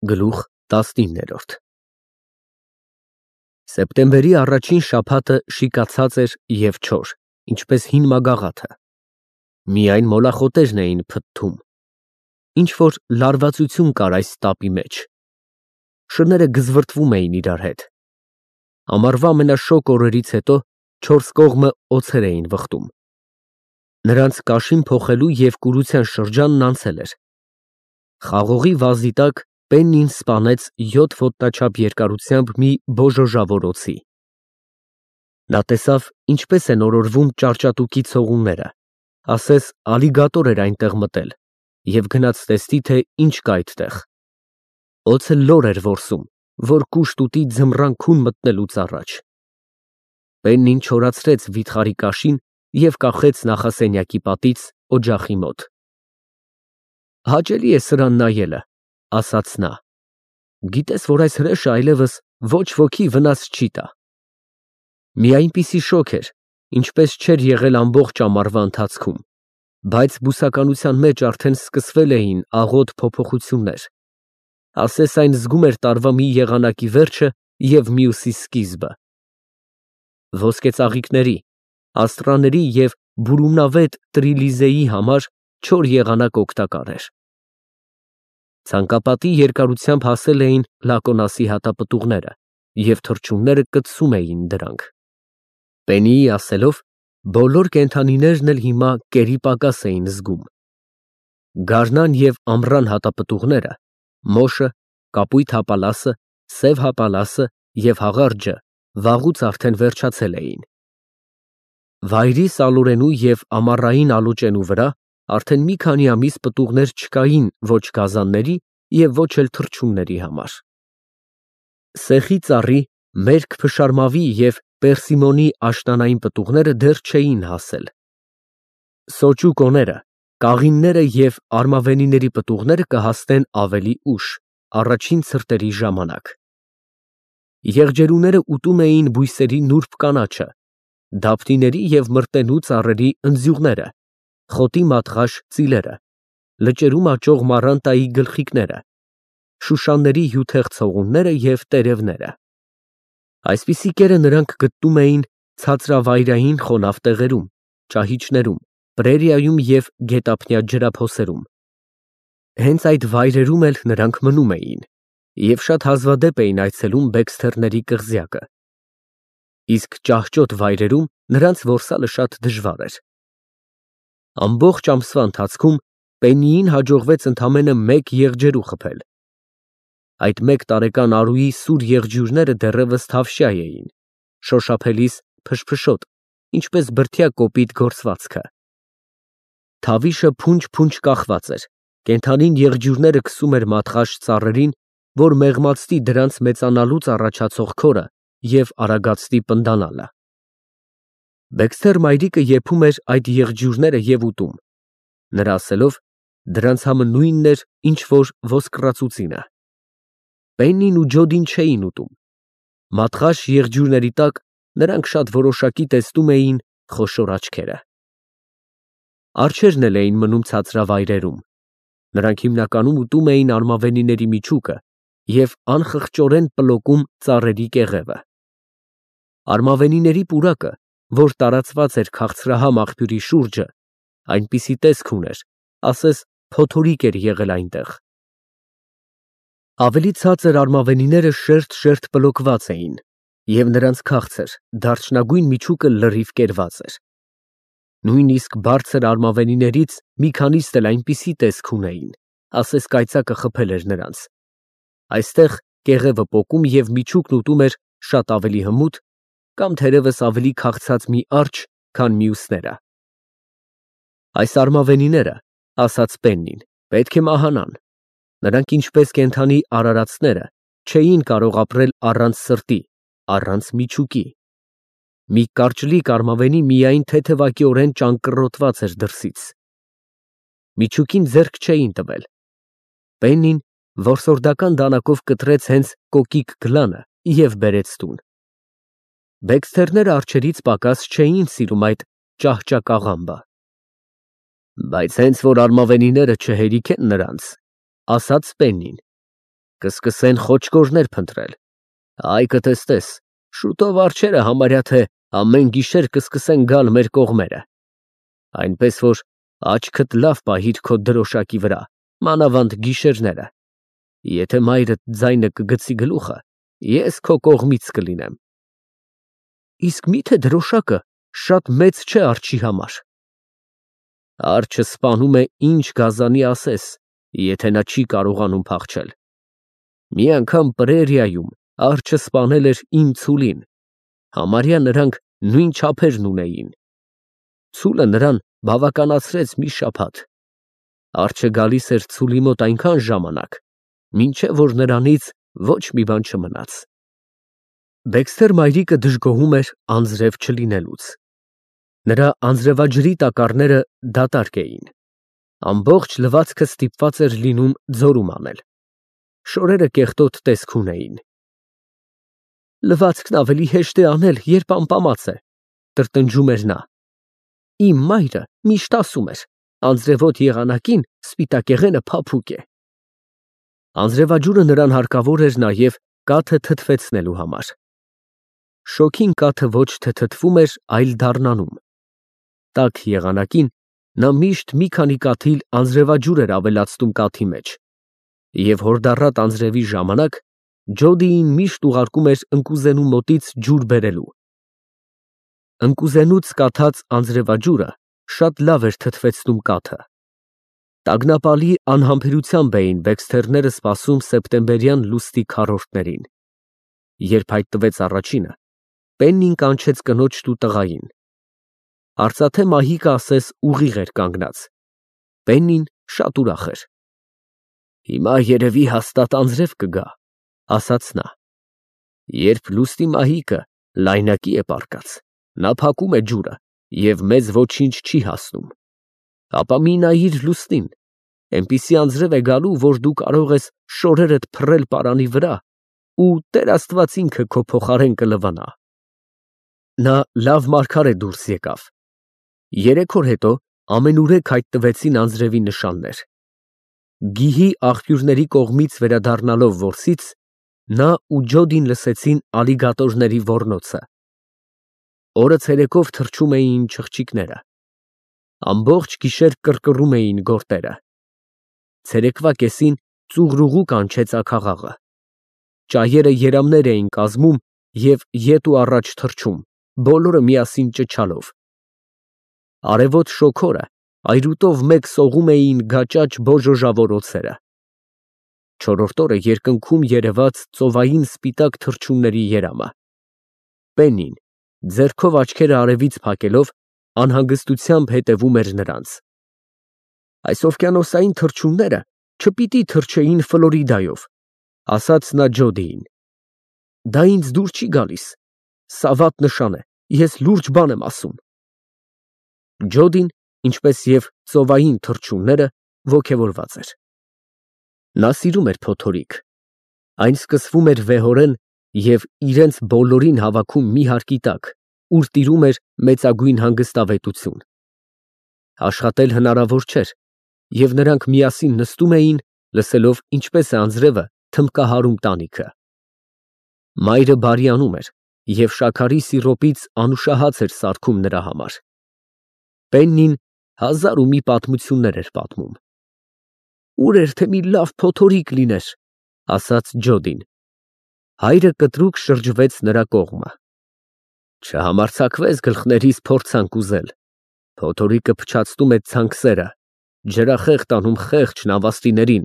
Գլուխ 19 Սեպտեմբերի առաջին շաբաթը շիկացած էր և չոր, ինչպես հին մագաղաթը, միայն մոլախոտերն էին փթթում, ինչ-որ լարվածություն կար այս տապի մեջ, շները գզվրտվում էին իրար հետ, ամառվա ամենաշոգ օրերից հետո չորս կողմը օձեր էին վխտում, նրանց կաշին փոխելու և կուրության շրջանն անցել էր, խաղողի վազի տակ Պեննին սպանեց 7 ոտնաչափ երկարությամբ մի բոժոժավոր օձի։ Նա տեսավ, ինչպես են օրորվում ճարճատուկի ցողունները, ասես ալիգատոր էր այնտեղ մտել և գնաց տեսնի, թե ինչ կա այդտեղ։ Օձը լոր էր որսում, որ կուշտ ուտի ձմռան քուն մտնելուց առաջ։ Պեննին չորացրեց վիթխարի կաշին և կախեց նախասենյակի պատից օջախի մոտ։ Հաճելի է սրան նայելը, ասաց նա, գիտես, որ այս հրեշը այլևս ոչ ոքի վնաս չի տա։ Մի այնպիսի շոգ էր, ինչպես չէր եղել ամբողջ ամառվա ընթացքում, բայց բուսականության մեջ արդեն սկսվել էին աղոտ փոփոխություններ, ասես այն զգում էր տարվա մի եղանակի վերջը և մյուսի սկիզբը։ Ոսկե ծաղիկների, աստղաների և բուրումնավետ Տրիլիզեի համար չոր եղանակ օգտակար էր։ Ցանկապատի երկարությամբ հասել էին Լակոնասի հատապտուղները և թռչունները կծում էին դրանք։ Պեննիի ասելով, բոլոր կենդանիներն էլ հիմա կերի պակաս էին զգում։ Գարնան և ամռան հատապտուղները, մոշը, կապույտ հապալասը, սև հապալասը և հաղարջը վաղուց արդեն վերջացել էին։ Վայրի սալորենու և ամառային ալոճենու վրա արդեն մի քանի ամիս պտուղներ չկային ոչ գազանների և ոչ էլ թռչունների համար։ Սեխի ծառի, մերկ փշարմավի և պերսիմոնի աշնանային պտուղները դեռ չէին հասել։ Սոճու կողերը, կաղինները և արմավենիների պտուղները կհասնեն ավելի ուշ, առաջին ցրտերի ժամանակ։ Եղջերուները ուտում էին բույսերի նուրբ կանաչը, դափնիների և մրտենու ծառերի ընձյուղները, խոտի մատղաշ ծիլերը, լճերում աճող մառանտայի գլխիկները, շուշանների հյութեղ ցողունները և տերևները։ Այսպիսի կերը նրանք գտնում էին ցածրավայրային խոնավ տեղերում, ճահիճներում, պրերիայում և գետափնյա ջրափոսերում։ Հենց այդ վայրերում էլ նրանք մնում էին և շատ հազվադեպ էին այցելում Բեքսթերների կղզյակը։ Իսկ ճահճոտ վայրերում նրանց որսալը շատ դժվար էր։ Ամբողջ ամսվա ընթացքում Պեննիին հաջողվեց ընդամենը մեկ եղջերու խփել։ Այդ մեկ տարեկան արուի սուր եղջյուրները դեռևս թավշյա էին, շոշափելիս փշփշոտ, ինչպես բրդյա կոպիտ գործվածքը։ Թավիշը փունջ կախված էր, կենդանին եղջյուրները քսում էր մատղաշ ծառերին, որ մեղմացնի դրանց մեծանալուց առաջացող քորը և արագացնի պնդանալը։ Բեքսթեր մայրիկը եփում էր այդ եղջյուրները և ուտում, նրա ասելով, դրանց համը նույնն էր, ինչ որ ոսկռածուծինը։ Պեննին ու Ջոդին չէին ուտում։ Մատղաշ եղջյուրների տակ նրանք շատ որոշակի տեսնում էին խոշոր աչքերը։ Արջերն էլ էին մնում ցածրավայրերում։ Նրանք հիմնականում ուտում էին արմավենիների միջուկը և անխղճորեն պլոկում ծառերի կեղևը։ Արմավենիների պուրակը, որ տարածված էր քաղցրահամ աղբյուրի շուրջը, այնպիսի տեսք ուներ, ասես փոթորիկ էր եղել այնտեղ։ Ավելի ցածր արմավենիները շերտ պլոկված էին, և նրանց քաղցր, դարչնագույն միջուկը լրիվ կերված էր։ Նույնիսկ բարձր արմավենիներից մի քանիսն էլ այնպիսի տեսք ունեին, ասես կայծակը խփել էր նրանց։ Այստեղ կեղևը պոկում և միջուկն ուտում էր շատ ավելի հմուտ կամ թերևս ավելի քաղցած մի արջ, քան մյուսները։ Այս արմավենիները, ասաց Պեննին, պետք է մահանան։ Նրանք ինչպես կենդանի արարածները չէին կարող ապրել առանց սրտի, առանց միջուկի։ Մի կարճլիկ արմավենի միայն թեթևակիորեն ճանկռոտված էր դրսից։ Միջուկին ձեռք չէին տվել։ Պեննին որսորդական դանակով կտրեց հենց կոկիկ գլանը և բերեց տուն։ Բեքսթերները արջերից պակաս չէին սիրում այդ ճահճակաղամբը։ Բայց հենց որ արմավենիները չհերիքեն նրանց, ասաց Պեննին, կսկսեն խոճկորներ փնտրել։ Այ կտեսնես, շուտով արջերը համարյա թե ամեն գիշեր կսկսեն գալ մեր կողմերը։ Այնպես որ աչքդ լավ պահիր քո դրոշակի վրա, մանավանդ գիշերները։ Եթե մայրդ ձայնը կգցի գլուխը, ես քո կողմից կլինեմ։ Իսկ միթե դրոշակը շատ մեծ չէ արջի համար։ Արջը սպանում է ինչ գազանի ասես, եթե նա չի կարողանում փախչել։ Մի անգամ Պրերիայում արջը սպանել էր իմ ցուլին, համարյա նրանք նույն չափերն ունեին։ Ցուլը նրան բավականացրեց մի շաբաթ։ Արջը գալիս էր ցուլի մոտ այնքան ժամանակ, մինչև որ նրանից ոչ մի բան չմնաց։ Դեքսթեր մայրիկը դժգոհում էր անձրև չլինելուց։ Նրա անձրևաջրի տակառները դատարկ էին։ Ամբողջ լվացքը ստիպված էր լինում ձորում անել։ Շորերը կեղտոտ տեսք ունեին։ Լվացքն ավելի հեշտ է անել, երբ ամպամած է, տրտնջում էր նա։ Իմ մայրը միշտ ասում էր. անձրևոտ եղանակին սպիտակեղենը փափուկ է։ Անձրևաջուրը նրան հարկավոր էր նաև կաթը թթվեցնելու համար։ Շոգին կաթը ոչ թե թթվում էր, այլ դառնանում։ Տաք եղանակին նա միշտ մի քանի կաթիլ անձրևաջուր էր ավելացնում կաթի մեջ, և հորդառատ անձրևի ժամանակ Ջոդիին միշտ ուղարկում էր ընկուզենու մոտից ջուր բերելու։ Ընկուզենուց կաթած անձրևաջուրը շատ լավ էր թթվեցնում կաթը։ Տագնապալի անհամբերությամբ էին Բեքսթերները սպասում սեպտեմբերյան լուսնի քառորդներին։ Երբ հայտնվեց առաջինը, Պեննին կանչեց կնոջն ու տղային։ Արծաթե մահիկը ասես ուղիղ էր կանգնած։ Պեննին շատ ուրախ էր։ Հիմա երևի հաստատ անձրև կգա, ասաց նա։ Երբ լուսնի մահիկը լայնակի է պառկած, նա փակում է ջուրը և մեզ ոչինչ չի հասնում։ Ապա մի նայիր լուսնին, այնպիսի անձրև է գալու, որ դու կարող ես շորերդ փռել պարանի վրա ու Տեր Աստված ինքը քո փոխարեն կլվանա։ Նա լավ մարգարե դուրս եկավ։ 3 օր հետո ամենուրեք հայտնվեցին անձրևի նշաններ։ Գիհի աղբյուրների կողմից վերադառնալով որսից, նա ու Ջոդին լսեցին ալիգատորների ոռնոցը։ Օրը ցերեկով թռչում էին չղջիկները։ Ամբողջ գիշեր կռկռում էին գորտերը։ Ցերեկվա կեսին ծուղրուղու կանչեց աքաղաղը։ Ճայերը երամներ էին կազմում և ետ ու առաջ թռչում, բոլորը միասին ճչալով։ Արևոտ շոգորը այրուտով մեկ սողում էին գաճաճ բոժոժավոր օձերը։ Չորրորդ օրը երկնքում երևաց ծովային սպիտակ թռչունների երամը։ Պեննին, ձեռքով աչքերը արևից փակելով, անհանգստությամբ հետևում էր նրանց։ Այս օվկիանոսային թռչունները չպիտի թռչեին Ֆլորիդայով, ասաց նա Ջոդիին։ Դա ինձ դուր չի գալիս։ Սա վատ նշան է, ես լուրջ բան եմ ասում։ Ջոդին, ինչպես և ծովային թռչունները, ոգևորված էր։ Նա սիրում էր փոթորիկ։ Այն սկսվում էր վեհորեն և իրենց բոլորին հավաքում մի հարկի տակ, ուր տիրում էր մեծագույն հանգստավետություն։ Աշխատել հնարավոր չէր, և նրանք միասին նստում էին, լսելով ինչպես է անձրևը թմբկահարում տանիքը։ Մայրը բարյանում էր և շաքարի սիրոպից անուշահաց էր սարքում նրա համար։ Պեննին 1001 պատմություններ էր պատմում։ Ուր էր թե մի լավ փոթորիկ լիներ, ասաց Ջոդին։ Հայրը կտրուկ շրջվեց նրա կողմը։ Չհամարձակվես գլխներիս փորձանք ուզել։ Փոթորիկը փչացնում է ցանքսերը, ջրախեղ տանում խեղճ նավաստիներին,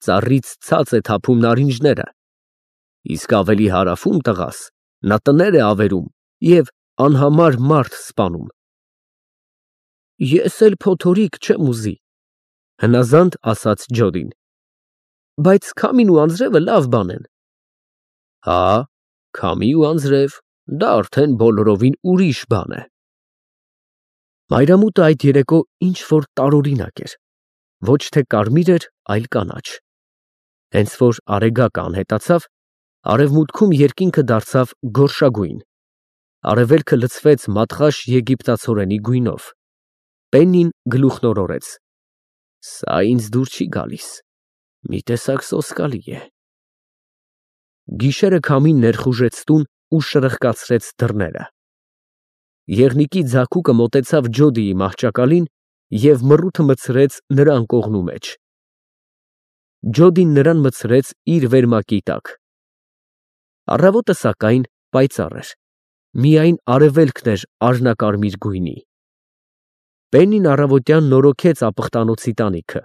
ծառից ցած է թափում նարինջները։ Իսկ ավելի հարավում տղաս, նա տներ է ավերում և անհամար մարդ սպանում։ Ես էլ փոթորիկ չեմ ուզի, հնազանդ ասաց Ջոդին։ Բայց քամին ու անձրևը լավ բան են։ Հա, քամի ու անձրև, դա արդեն բոլորովին ուրիշ բան է։ Մայրամուտը այդ երեկո ինչ-որ տարօրինակ էր, ոչ թե կարմիր էր, այլ կանաչ։ Հենց որ արեգակը անհետացավ, արևմուտքում երկինքը դարձավ գորշագույն։ Արևելքը լցվեց մատղաշ եգիպտացորենի գույնով։ Պեննին գլուխն օրորեց։ Սա ինձ դուր չի գալիս։ Մի տեսակ սոսկալի է։ Գիշերը քամին ներխուժեց տուն ու շրխկացրեց դռները։ Եղնիկի ձագուկը մոտեցավ Ջոդիի մահճակալին և մռութը մտցրեց նրա անկողնու մեջ։ Ջոդին նրան մտցրեց իր վերմակի տակ։ Առավոտը, սակայն, պայծառ էր, միայն արևելքն էր արհնակարմիր գույնի։ Պեննին առավոտյան նորոգեց ապխտանոցի տանիքը։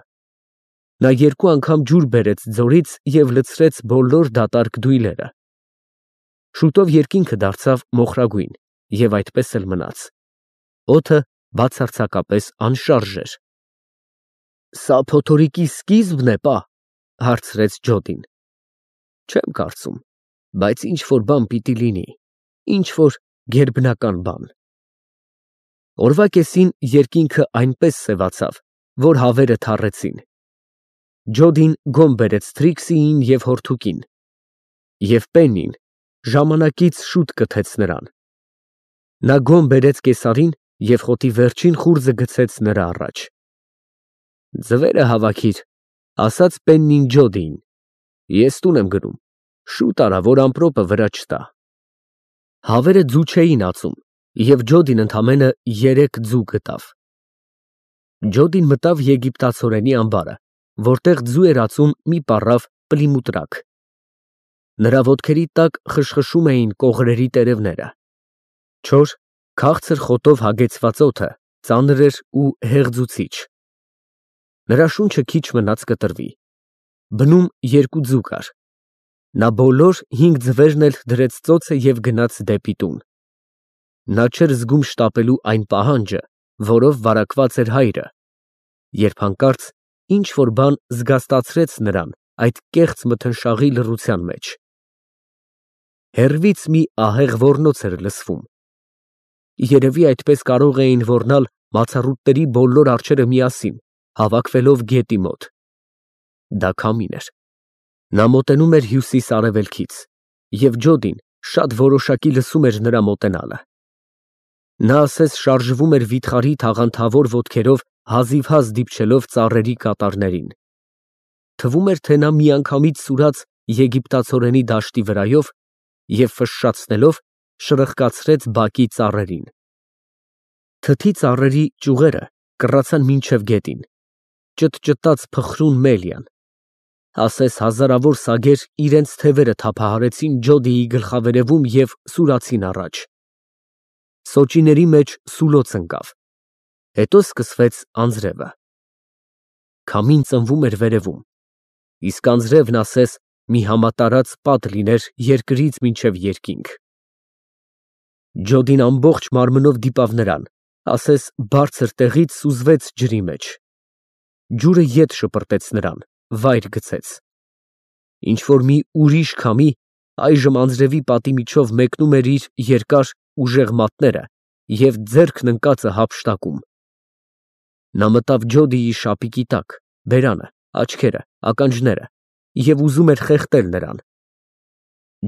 Նա երկու անգամ ջուր բերեց ձորից և լցրեց բոլոր դատարկ դույլերը։ Շուտով երկինքը դարձավ մոխրագույն և այդպես էլ մնաց։ Օդը բացարձակապես անշարժ էր։ «Սա փոթորիկի սկիզբն է, պա», հարցրեց Ջոդին։ «Չեմ կարծում, բայց ինչ֊որ բան պիտի լինի, ինչ֊որ գերբնական բան»։ Օրվա կեսին երկինքը այնպես սևացավ, որ հավերը թառեցին։ Ջոդին գոմ բերեց Թրիքսիին և հորթուկին, և Պեննին ժամանակից շուտ կթեց նրան։ Նա գոմ բերեց կեսարին և խոտի վերջին խուրձը գցեց նրա առաջ։ «Ձվերը հավաքիր», ասաց Պեննին Ջոդիին, «ես տուն եմ գնում, շուտ արա, որ ամպրոպը վրա չտա»։ Հավերը ձու չէին ածում, և Ջոդին ընդամենը 3 ձու գտավ։ Ջոդին մտավ եգիպտացորենի ամբարը, որտեղ ձու էր ածում մի պառավ պլիմուտրակ։ Նրա ոտքերի տակ խշխշում էին կողրերի տերևները։ Չոր, քաղցր խոտով հագեցված օդը ծանր էր ու հեղձուցիչ։ Նրա շունչը քիչ մնաց կտրվի։ Բնում 2 ձու կար։ Նա բոլոր 5 ձվերն էլ դրեց ծոցը և գնաց դեպի տուն։ Նա չէր զգում շտապելու այն պահանջը, որով վարակված էր հայրը, երբ հանկարծ ինչ֊որ բան զգաստացրեց նրան այդ կեղծ մթնշաղի լռության մեջ։ Հեռվից մի ահեղ ոռնոց էր լսվում։ Երևի այդպես կարող էին ոռնալ մացառուտների բոլոր արջերը միասին, հավաքվելով գետի մոտ։ Դա քամին էր։ Նա մոտենում էր հյուսիս֊արևելքից, և Ջոդին շատ որոշակի լսում էր նրա մոտենալը։ Նա ասես շարժվում էր վիթխարի թաղանթավոր ոտքերով հազիվհազ դիպչելով ծառերի կատարներին։ Թվում էր, թե նա միանգամից սուրաց եգիպտացորենի դաշտի վրայով և ֆշշացնելով շրխկացրեց բակի ծառերին։ Թթի ծառերի ճյուղերը կռացան մինչև գետին, ճտճտաց փխրուն Մելիան, ասես հազարավոր սագեր իրենց թևերը թափահարեցին Ջոդիի գլխավերևում և սուրացին առաջ։ Սոճիների մեջ սուլոց ընկավ։ Հետո սկսվեց անձրևը։ Քամին ծնվում էր վերևում, իսկ անձրևն ասես մի համատարած պատ լիներ երկրից մինչև երկինք։ Ջոդին ամբողջ մարմնով դիպավ նրան, ասես բարձր տեղից սուզվեց ջրի մեջ։ Ջուրը ետ շպրտեց նրան, վայր գցեց։ Ինչ֊որ մի ուրիշ քամի այժմ անձրևի պատի միջով մեկնում էր իր երկար ուժեղ մատները և ձեռքն ընկածը հափշտակում։ Նա մտավ Ջոդիի շապիկի տակ, բերանը, աչքերը, ականջները և ուզում էր խեղդել նրան։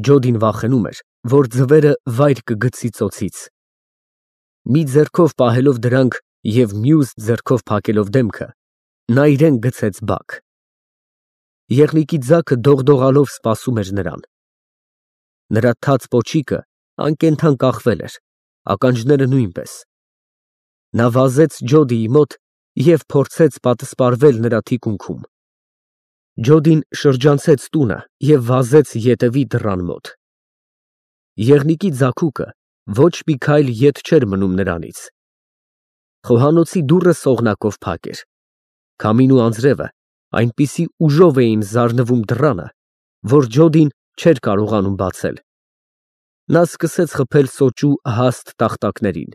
Ջոդին վախենում էր, որ ձվերը վայր կգցի ծոցից։ Մի ձեռքով պահելով դրանք և մյուս ձեռքով փակելով դեմքը, նա իրեն գցեց բակ։ Եղնիկի ձագը դողդողալով սպասում էր նրան։ Նրա թաց պոչիկը անկենդան կախվել էր, ականջները նույնպես։ Նա վազեց Ջոդիի մոտ և փորձեց պատսպարվել նրա թիկունքում։ Ջոդին շրջանցեց տունը և վազեց ետևի դռան մոտ։ Եղնիկի ձագուկը ոչ մի քայլ ետ չէր մնում նրանից։ Խոհանոցի դուռը սողնակով փակ էր։ Քամին ու անձրևը այնպիսի ուժով էին զարնվում դռանը, որ Ջոդին չէր կարողանում բացել։ Նա սկսեց խփել սոճու հաստ տախտակներին։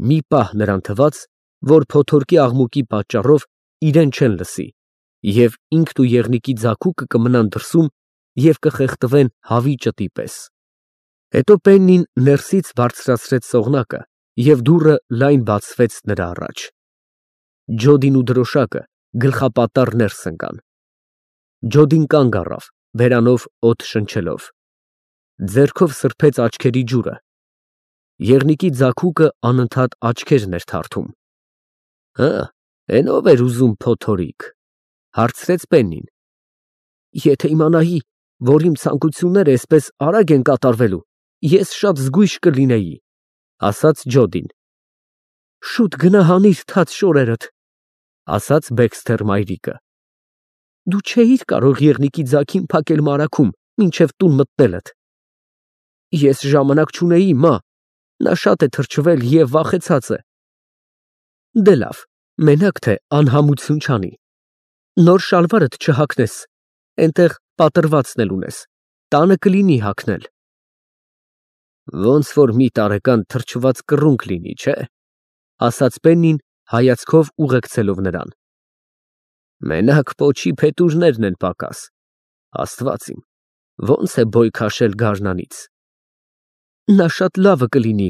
Մի պահ նրան թվաց, որ փոթորկի աղմուկի պատճառով իրեն չեն լսի, և ինքն ու եղնիկի ձագուկը կմնան դրսում և կխեղդվեն հավի ճտի պես։ Հետո Պեննին ներսից բարձրացրեց սողնակը, և դուռը լայն բացվեց նրա առաջ։ Ջոդին ու դրոշակը գլխապատառ ներս ընկան։ Ջոդին կանգ առավ, բերանով օդ շնչելով։ Ձեռքով սրբեց աչքերի ջուրը։ Եղնիկի ձագուկը անընդհատ աչքերն էր թարթում։ «Հը, էն ո՞վ էր ուզում փոթորիկ», հարցրեց Պեննին։ «Եթե իմանայի, որ իմ ցանկությունները այսպես արագ են կատարվելու, ես շատ զգույշ կլինեի, ասաց Ջոդին։ Շուտ գնա հանիր թաց շորերդ, ասաց Բեքսթեր մայրիկը։ Դու չէիր կարող եղնիկի ձագին փակել մարաքում, մինչև տուն մտնելդ։ Ես ժամանակ չունեի, մա, նա շատ է թրջվել և վախեցած է։ Դե լավ, մենակ թե անհամություն չանի։ Նոր շալվարդ չհագնես, այնտեղ պատրվածն էլ ունես, տանը կլինի հագնել։ Ոնց որ մի տարեկան թրջված կռունկ լինի, չէ, ասաց Պեննին հայացքով ուղեկցելով նրան։ Մենակ պոչի փետուրներն են պակաս, Աստված իմ, ոնց է բոյ քաշել գարնանից։ Նա շատ լավը կլինի,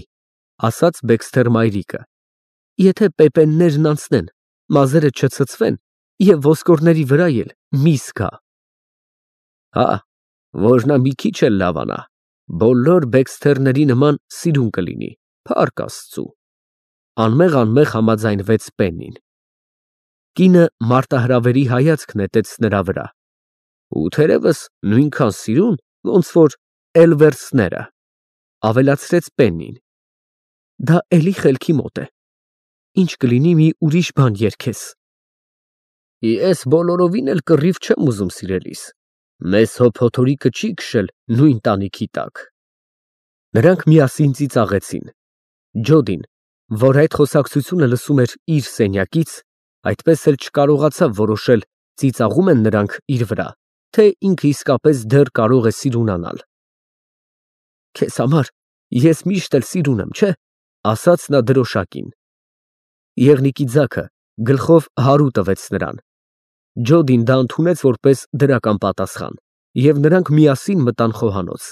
ասաց Բեքսթեր մայրիկը, եթե պեպեններն անցնեն, մազերը չցցվեն և ոսկորների վրա էլ միս գա։ Հա, որ նա մի քիչ էլ լավանա, բոլոր Բեքսթերների նման սիրուն կլինի, փառք Աստծու, անմեղ համաձայնվեց Պեննին։ Կինը մարտահրավերի հայացք նետեց նրա վրա։ Ու թերևս նույնքան սիրուն, ոնց որ Էլվերսները, ավելացրեց Պեննին։ Դա էլի խելքի մոտ է։ Ինչ կլինի մի ուրիշ բան երգես։ Ես բոլորովին էլ կռիվ չեմ ուզում, սիրելիս։ Մեզ հոփոթորիկը չի քշել նույն տանիքի տակ։ Նրանք միասին ծիծաղեցին։ Ջոդին, որ այդ խոսակցությունը լսում էր իր սենյակից, այդպես էլ չկարողացավ որոշել ծիծաղում են նրանք իր վրա, թե ինքը իսկապես դեռ կարող է սիրունանալ։ Քեզ համար ես միշտ էլ սիրուն եմ, չէ, ասաց նա դրոշակին։ Եղնիկի ձագը գլխով հարու տվեց նրան։ Ջոդին դա ընդունեց որպես դրական պատասխան, և նրանք միասին մտան խոհանոց։